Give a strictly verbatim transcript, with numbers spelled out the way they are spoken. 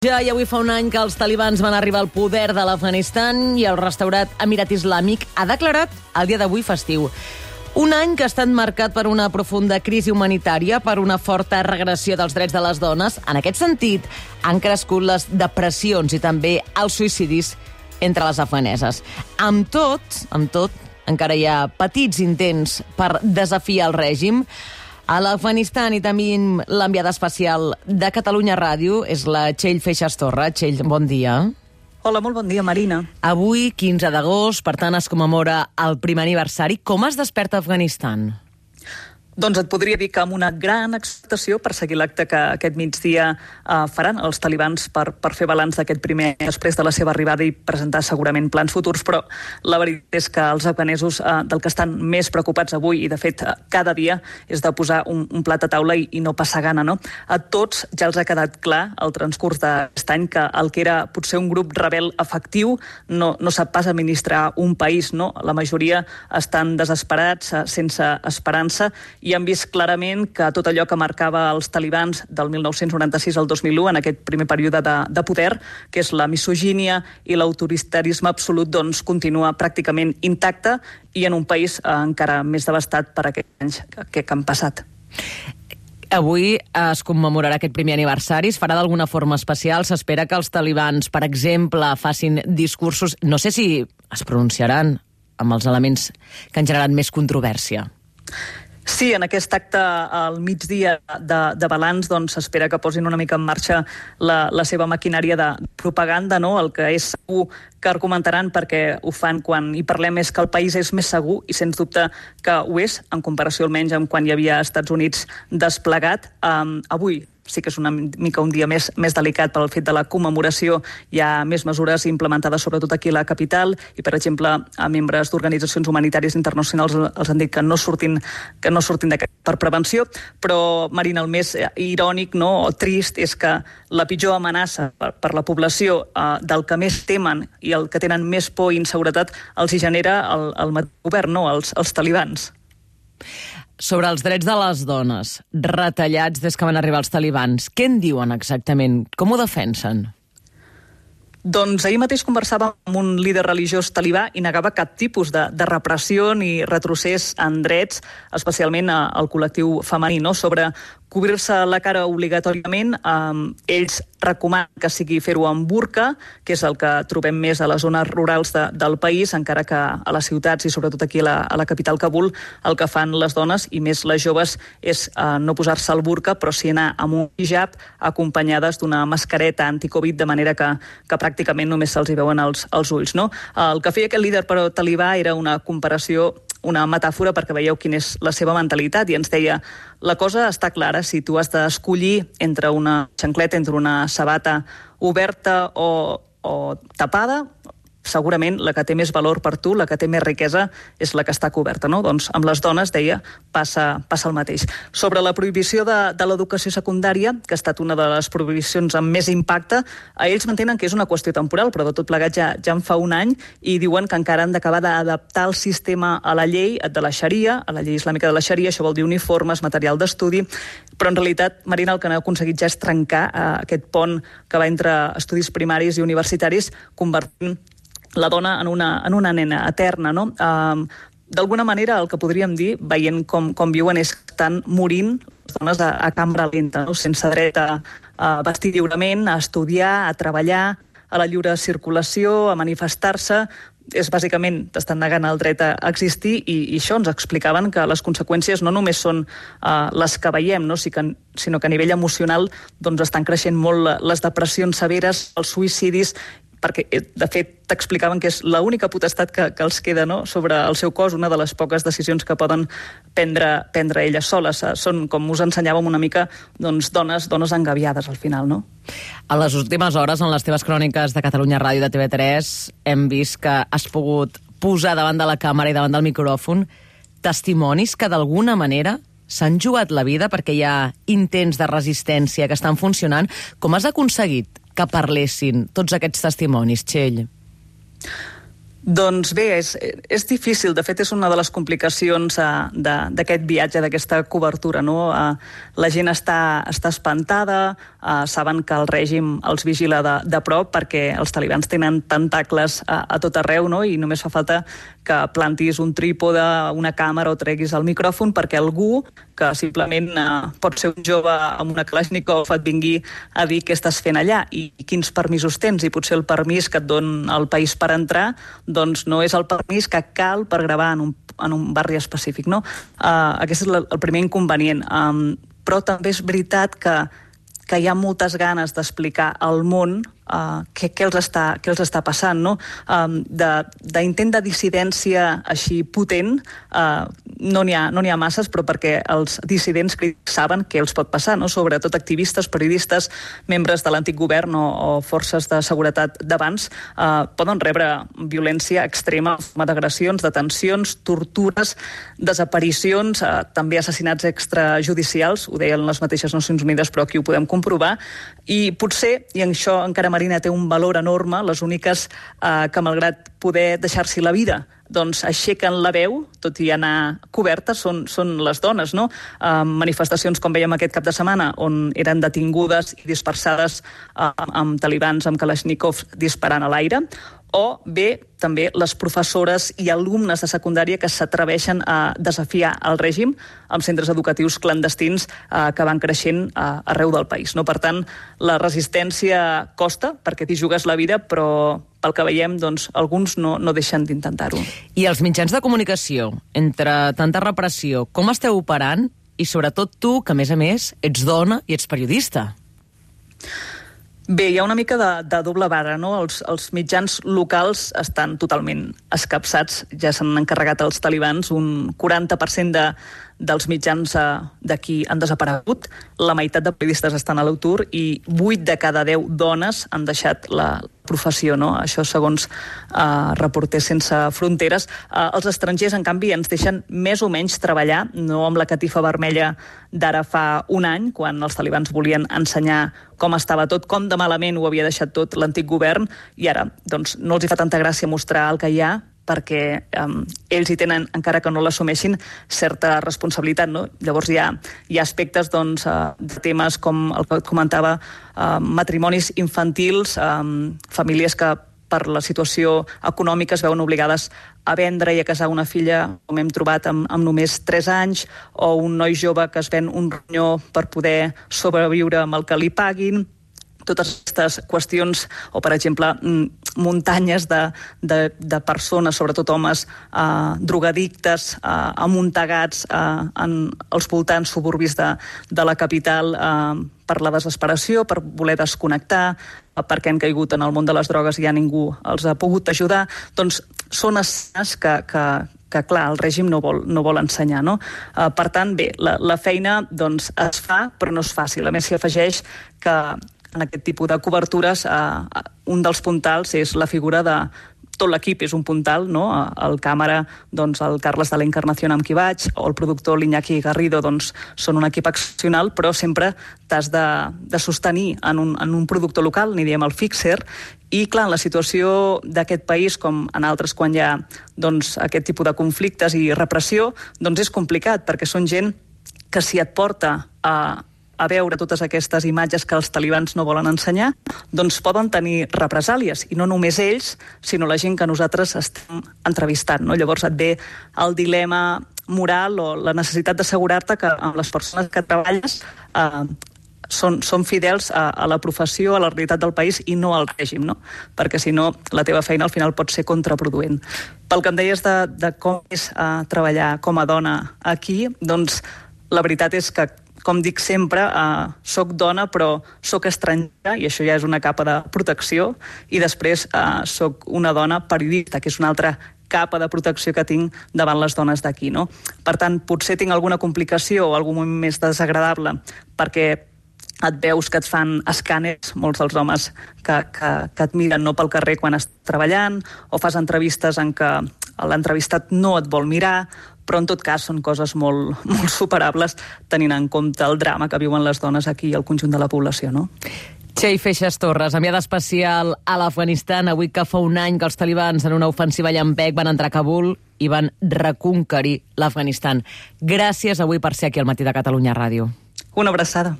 Ja i avui fa un any que els talibans van arribar al poder de l'Afganistan i el restaurat Emirat Islàmic ha declarat el dia d'avui festiu. Un any que ha estat marcat per una profunda crisi humanitària, per una forta regressió dels drets de les dones. En aquest sentit, han crescut les depressions i també els suïcidis entre les afganeses. Amb tot, amb tot, encara hi ha petits intents per desafiar el règim. A l'Afganistan i també l'enviada especial de Catalunya Ràdio és la Txell Feixas Torra. Txell, bon dia. Hola, molt bon dia, Marina. Avui, quinze d'agost, per tant, es commemora el primer aniversari. Com es desperta Afganistan? Doncs et podria dir que amb una gran expectació per seguir l'acte que aquest migdia eh, faran els talibans per, per fer balanç d'aquest primer després de la seva arribada i presentar segurament plans futurs, però la veritat és que els afganesos eh, del que estan més preocupats avui, i de fet eh, cada dia, és de posar un, un plat a taula i, i no passar gana, no? A tots ja els ha quedat clar al transcurs d'aquest any que el que era potser un grup rebel efectiu no, no sap pas administrar un país, no? La majoria estan desesperats, eh, sense esperança, i han vist clarament que tot allò que marcava els talibans del mil nou-cents noranta-sis al dos mil u, en aquest primer període de, de poder, que és la misogínia i l'autoritarisme absolut, doncs continua pràcticament intacte i en un país eh, encara més devastat per aquests anys que, que han passat. Avui es commemorarà aquest primer aniversari, es farà d'alguna forma especial, s'espera que els talibans, per exemple, facin discursos, no sé si es pronunciaran amb els elements que han generat més controvèrsia. Sí, en aquest acte al migdia de, de balanç doncs s'espera que posin una mica en marxa la, la seva maquinària de propaganda, no? El que és segur que argumentaran, perquè ho fan quan hi parlem, és que el país és més segur, i sens dubte que ho és, en comparació almenys amb quan hi havia Estats Units desplegat. Um, avui sí que és una mica un dia més, més delicat pel fet de la commemoració. Hi ha més mesures implementades sobretot aquí a la capital i, per exemple, a membres d'organitzacions humanitàries internacionals els han dit que no surtin, que no surtin d'aquest per prevenció, però, Marina, el més irònic, no, o trist és que la pitjor amenaça per, per la població eh, del que més temen i el que tenen més por i inseguretat els hi genera el, el govern, no, els, els talibans. Sobre els drets de les dones, retallats des que van arribar els talibans, què en diuen exactament? Com ho defensen? Doncs ahir mateix conversàvem amb un líder religiós talibà i negava cap tipus de, de repressió ni retrocés en drets, especialment al col·lectiu femení, no? Sobre cobrir-se la cara obligatòriament, eh, ells recomanen que sigui fer-ho amb burca, que és el que trobem més a les zones rurals de, del país, encara que a les ciutats i sobretot aquí a la, a la capital Kabul el que fan les dones, i més les joves, és eh, no posar-se el burca, però sí anar amb un hijab acompanyades d'una mascareta anticovid, de manera que, que pràcticament només se'ls hi veuen els, els ulls, no? El que feia aquest líder però talibà era una comparació, una metàfora, perquè veieu quina és la seva mentalitat, i ens deia: la cosa està clara, si tu has d'escollir entre una xancleta, entre una sabata oberta o, o tapada, segurament la que té més valor per tu, la que té més riquesa, és la que està coberta, no? Doncs amb les dones, deia, passa, passa el mateix. Sobre la prohibició de, de l'educació secundària, que ha estat una de les prohibicions amb més impacte, a ells mantenen que és una qüestió temporal, però de tot plegat ja, ja en fa un any, i diuen que encara han d'acabar d'adaptar el sistema a la llei de la Xaria, a la llei islàmica de la Xaria. Això vol dir uniformes, material d'estudi, però en realitat, Marina, el que han aconseguit ja és trencar eh, aquest pont que va entre estudis primaris i universitaris, convertint la dona en una, en una nena eterna, no? Uh, d'alguna manera, el que podríem dir, veient com, com viuen, és que estan morint les dones a, a cambra lenta, no? Sense dret a, a vestir lliurement, a estudiar, a treballar, a la lliure circulació, a manifestar-se. És bàsicament, t'estan negant el dret a existir, i, i això ens explicaven que les conseqüències no només són uh, les que veiem, no? Sí que, sinó que a nivell emocional doncs, estan creixent molt les depressions severes, els suïcidis, perquè, de fet, t'explicaven que és l'única potestat que, que els queda, no? Sobre el seu cos, una de les poques decisions que poden prendre, prendre elles soles. Són, com us ensenyàvem una mica, doncs, dones, dones engaviades al final, no? A les últimes hores, en les teves cròniques de Catalunya Ràdio de T V tres, hem vist que has pogut posar davant de la càmera i davant del micròfon testimonis que d'alguna manera s'han jugat la vida perquè hi ha intents de resistència que estan funcionant. Com has aconseguit que parlessin tots aquests testimonis, Txell? Doncs bé, és, és difícil. De fet, és una de les complicacions uh, d'aquest viatge, d'aquesta cobertura, no? Uh, la gent està, està espantada, uh, saben que el règim els vigila de, de prop perquè els talibans tenen tentacles a, a tot arreu, no? I només fa falta que plantis un trípode, una càmera o treguis el micròfon perquè algú que simplement uh, pot ser un jove amb una Kalashnikov et vingui a dir què estàs fent allà i quins permisos tens, i potser el permís que et don el país per entrar doncs no és el permís que cal per gravar en un, en un barri específic, no? Uh, aquest és el, el primer inconvenient. Um, però també és veritat que, que hi ha moltes ganes d'explicar al món uh, què, què, els està, què els està passant, no? Um, d'intent de, de dissidència així potent, uh, no n'hi ha, no n'hi ha masses, però perquè els dissidents saben què els pot passar, no? Sobretot activistes, periodistes, membres de l'antic govern o, o forces de seguretat d'abans, uh, poden rebre violència extrema, d'agressions, detencions, tortures, desaparicions, uh, també assassinats extrajudicials, ho deien les mateixes Nacions Unides, però aquí ho podem comprovar, i potser, i això encara Marina té un valor enorme, les úniques uh, que malgrat poder deixar-s'hi la vida doncs aixequen la veu, tot i anar cobertes, són, són les dones, no? Uh, manifestacions, com veiem aquest cap de setmana, on eren detingudes i dispersades uh, amb talibans, amb Kalashnikov disparant a l'aire, o bé també les professores i alumnes de secundària que s'atreveixen a desafiar el règim amb centres educatius clandestins eh, que van creixent eh, arreu del país, no? Per tant, la resistència costa, perquè t'hi jugues la vida, però pel que veiem, doncs, alguns no, no deixen d'intentar-ho. I els mitjans de comunicació, entre tanta repressió, com esteu operant? I sobretot tu, que a més a més ets dona i ets periodista. Bé, hi ha una mica de, de doble vara, no? Els, els mitjans locals estan totalment escapçats, ja s'han encarregat els talibans, un quaranta per cent de, dels mitjans eh, d'aquí han desaparegut, la meitat de periodistes estan a l'atur i vuit de cada deu dones han deixat la professió, no? Això segons eh, Reporters Sense Fronteres. Eh, els estrangers, en canvi, ens deixen més o menys treballar, no amb la catifa vermella d'ara fa un any, quan els talibans volien ensenyar com estava tot, com de malament ho havia deixat tot l'antic govern, i ara doncs, no els hi fa tanta gràcia mostrar el que hi ha, perquè um, ells hi tenen, encara que no l'assumeixin, certa responsabilitat, no? Llavors hi ha, hi ha aspectes doncs, uh, de temes com el que comentava, uh, matrimonis infantils, um, famílies que per la situació econòmica es veuen obligades a vendre i a casar una filla, com hem trobat, amb, amb només tres anys, o un noi jove que es ven un ronyó per poder sobreviure amb el que li paguin. Totes aquestes qüestions, o per exemple muntanyes de, de, de persones, sobretot homes, eh, drogadictes, eh, amuntegats eh, en els voltants suburbis de, de la capital eh, per la desesperació, per voler desconnectar, eh, perquè han caigut en el món de les drogues i ja ningú els ha pogut ajudar. Doncs són escenes que, que, que clar, el règim no vol, no vol ensenyar, no? Uh, per tant, bé, la, la feina doncs, es fa, però no és fàcil. A més, s'hi afegeix que en aquest tipus de cobertures eh, un dels puntals és la figura de tot l'equip, és un puntal, no? El càmera, doncs, el Carles de la Encarnación amb qui vaig, o el productor l'Iñaki Garrido, doncs, són un equip excepcional, però sempre t'has de, de sostenir en un, en un productor local, n'hi diem el fixer, i clar, en la situació d'aquest país, com en altres quan hi ha doncs, aquest tipus de conflictes i repressió, doncs és complicat, perquè són gent que si et porta a a veure totes aquestes imatges que els talibans no volen ensenyar, doncs poden tenir represàlies, i no només ells, sinó la gent que nosaltres estem entrevistant, no? Llavors et ve el dilema moral o la necessitat d'assegurar-te que amb les persones que treballes eh, són, són fidels a, a la professió, a la realitat del país i no al règim, no? Perquè si no, la teva feina al final pot ser contraproduent. Pel que em deies de, de com és eh, treballar com a dona aquí, doncs la veritat és que, com dic sempre, eh, soc dona però soc estrangera, i això ja és una capa de protecció, i després eh, soc una dona periodista, que és una altra capa de protecció que tinc davant les dones d'aquí, no? Per tant, potser tinc alguna complicació o algun moment més desagradable, perquè et veus que et fan escàners, molts dels homes que, que, que et miren no pel carrer quan estàs treballant, o fas entrevistes en què l'entrevistat no et vol mirar, però en tot cas són coses molt, molt superables tenint en compte el drama que viuen les dones aquí i el conjunt de la població, no? Txell Feixas Torres, enviada especial a l'Afganistan, avui que fa un any que els talibans en una ofensiva llampec van entrar a Kabul i van reconquerir l'Afganistan. Gràcies avui per ser aquí al Matí de Catalunya Ràdio. Una abraçada.